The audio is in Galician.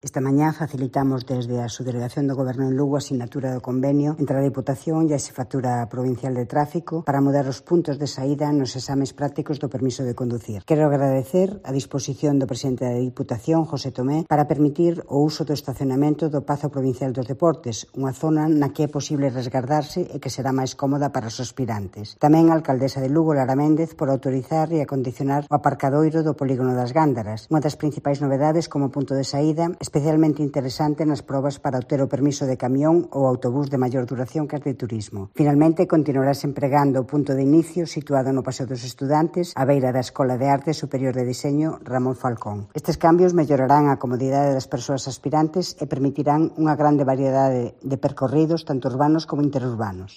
Esta mañá facilitamos desde a Subdelegación do Goberno en Lugo a sinatura do convenio entre a Deputación e a Xefatura Provincial de Tráfico para mudar os puntos de saída nos exames prácticos do permiso de conducir. Quero agradecer a disposición do presidente da Diputación, José Tomé, para permitir o uso do estacionamento do Pazo Provincial dos Deportes, unha zona na que é posible resguardarse e que será máis cómoda para os aspirantes. Tamén a alcaldesa de Lugo, Lara Méndez, por autorizar e acondicionar o aparcadoiro do Polígono das Gándaras, unha das principais novedades como punto de saída, especialmente interesante nas probas para obter o permiso de camión ou autobús de maior duración que as de turismo. Finalmente, continuarase empregando o punto de inicio situado no Paseo dos Estudantes, á beira da Escola de Arte Superior de Diseño Ramón Falcón. Estes cambios mellorarán a comodidade das persoas aspirantes e permitirán unha grande variedade de percorridos, tanto urbanos como interurbanos.